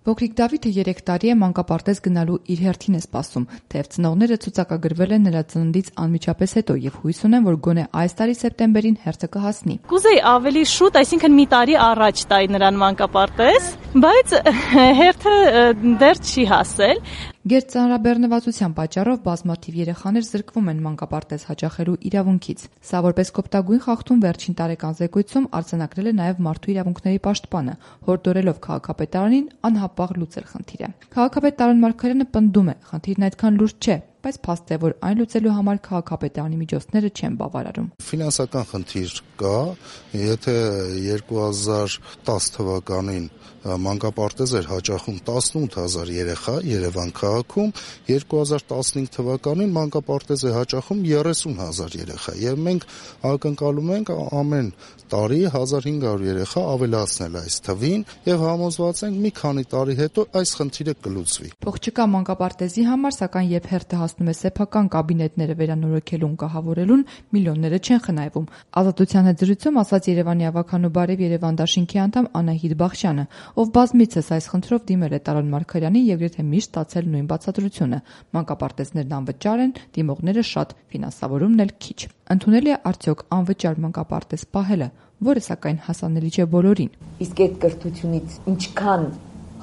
Փոքրիկ Դավիթը 3 տարի է մանկապարտեզ գնալու իր հերթին է սպասում, թեև ծնողները ցուցակագրվել են նրա ծննդից անմիջապես հետո եւ հույս ունեն, որ գոնե այս տարի սեպտեմբերին հերթը կհասնի։ Կուզեի ավելի շուտ, այսինքն մի տարի առաջ տայի նրան մանկապարտեզ, բայց հերթը դեռ չի հասել։ Գերտ ծանրաբեռնվածության պատճառով բազմաթիվ երեխաներ զրկվում են մանկապարտեզ հաճախելու իրավունքից։ Սա որպես կոպտագույն խախտում վերջին տարեկան զեկույցում արձանագրել է նաև Մարդու իրավունքների պաշտպանը, հորդորելով քաղաքապետարանին անհապաղ լուծել խնդիրը։ Քաղաքապետ Տարոն Մարգարյանը պնդում է, խնդիրն այդքան լուրջ չէ, բայց փաստ է, որ այն լուծելու համար քաղաքապետարանի միջոցները չեն բավարարում։ Ֆինանսական խնդիր կա, եթե 2010 թվականին մանկապարտեզ էր հաճախում 18,000 երեխա Երևան քաղաքում, 2015 թվականին մանկապարտեզ է հաճախում 30,000 երեխա եւ մենք ակնկալում ենք ամեն տարի 1500 երեխա ավելացնել այս թվին եւ համոզված ենք մի քանի տարի հետո այս խնդիրը կլուծվի։ Փող չկա մանկապարտեզի համար, սակայն երբ հերթը հասնում է սեփական կաբինետները վերանորոգելուն կահավորելուն, միլիոնները չեն խնայվում։ Ազատության հետ զրույցում ասաց Երևանի ավականու բարև Երևան դաշինքի անդամ Անահիտ Բախշյանը, ով բազմիցս այս խնդրով դիմել է Տարոն Մարգարյանին եւ գրեթե միշտ ստացել նույն բացատրությունը։ Մանկապարտեզներն անվճար են, դիմողները շատ, ֆինանսավորումն էլ քիչ։ Ընդունելի է արդյոք անվճար մանկապարտեզ պահելը, որը սակայն հասանելի չէ բոլորին։ Իսկ այդ կրթությունից ինչքան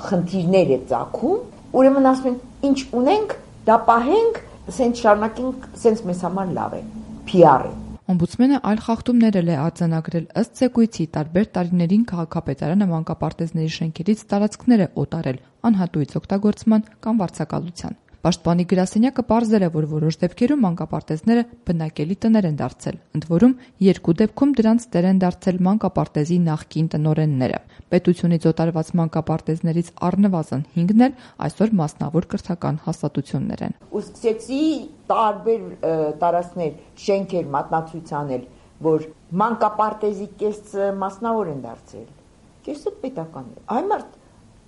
խնդիրներ է ծագում, ուրեմն ասում են, ինչ ունենք, դա պահենք, սենց շարունակենք, սենց մեզ համար լավ է, PR է։ Օմբուդսմենը այլ խախտումներ էլ է արձանագրել ըստ զեկույցի տարբեր տարիներին քաղաքապետարանը մանկապարտեզների շենքերից տարածքներ է օտարել անհատույց օգտագործման կամ վարձակալության։ Պաշտպանի գրասենյակը պարզել է, որ որոշ դեպքերում մանկապարտեզները բնակելի տներ են դարձել, ընդ որում 2 դեպքում դրանց տեր են դարձել մանկապարտեզի նախկին տնօրենները։ Պետությունից օտարված մանկապարտեզներից առնվազն 5-ն էլ այսօր մասնավոր կրթական հաստատություններ են։ Ու սկսեցի տարբեր տարածքներ, շենքեր մատնացույցանել, որ մանկապարտեզի կեսը մասնավոր են դարձել, կեսը պետական է։ Այ մարդ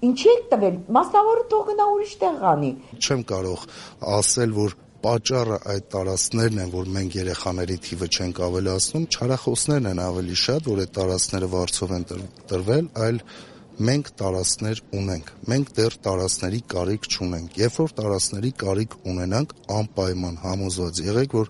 ինչի եք տվել, մասնավորը թող գնա ուրիշ տեղ անի։ Չեմ կարող ասել, որ պատճառը այդ տարածքներն են, որ մենք երեխաների թիվը չենք ավելացնում, չարախոսներն են ավելի շատ, որ այդ տարածքները վարձով են տրվել, այլ մենք տարածքներ ունենք։ Մենք դեռ տարածքների կարիք չունենք։ Երբ որ տարածքների կարիք ունենանք, անպայման համոզված եղեք, որ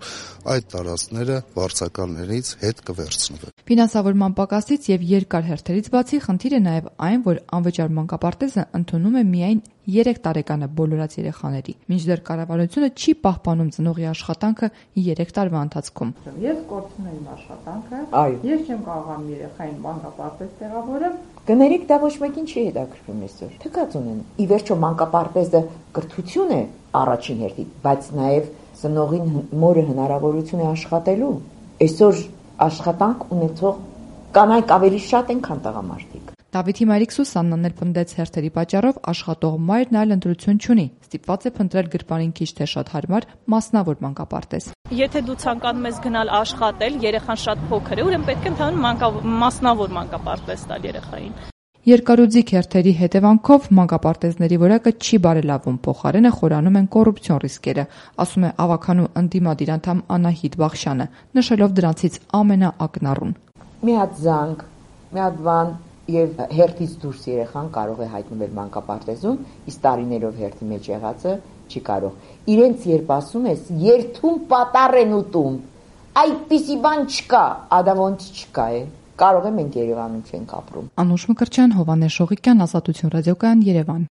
այդ տարածքները վարձակալներից հետ կվերցնվեն։ Ֆինանսավորման պակասից եւ երկար հերթերից բացի խնդիր է նաեւ այն, որ անվճար մանկապարտեզը ընդունում է միայն 3 տարեկանը բոլորած երեխաների, մինչդեռ կառավարությունը չի պահպանում ծնողի աշխատանքը 3 տարվա ընթացքում։ Ես կորցնում եմ աշխատանքը, ես չեմ կարող երեխային մանկապարտեզ տեղավորեմ։ Կներեք, դա ոչ մեկին չի հետաքրքրում այսօր։ Թքած ունեն։ Ի վերջո մանկապարտեզը կրթություն է առաջին հերթին, բայց նաև ծնողին մորը հնարավորություն է աշխատելու։ Այսօր աշխատանք ունեցող կանայք ավելի շատ են, քան տղամարդիկ։ Դավիթի մայրիկ Սուսաննան էլ պնդեց հերթերի պատճառով աշխատող մայրն այլ ընտրություն չունի, ստիպված է փնտրել գրպանին քիչ թե շատ հարմար մասնավոր մանկապարտեզ։ Եթե դու ցանկանում ես գնալ աշխատել, երեխան շատ փոքր է, ուրեմն պետք է ընդհանուր մասնավոր մանկապարտեզ տալ երեխային։ Երկարուձիգ հերթերի հետևանքով մանկապարտեզների որակը չի բարելավում, փոխարենը խորանում են կոռուպցիոն ռիսկերը, ասում է ավականու ընդդիմադիր անդամ Անահիտ Բախշյանը, նշելով դրանցից ամենաակնառուն։ Մի հատ զանգ, մի հատ բան եւ հերթից դուրս երեխան կարող է հայտնվել մանկապարտեզում, իսկ տարիներով հերթի մեջ եղածը չի կարող։ Իրենց երբ ասում ես, երթում պատառ են ուտում, այդպիսի բան չկա, ադա ոնց չկա է։ Կարող է մենք Երևանում չենք ապրում։ Անուշ Մկրտչյան, Հովհաննես Շողիկյան, Ազատություն ռադիոկայան, Երևան։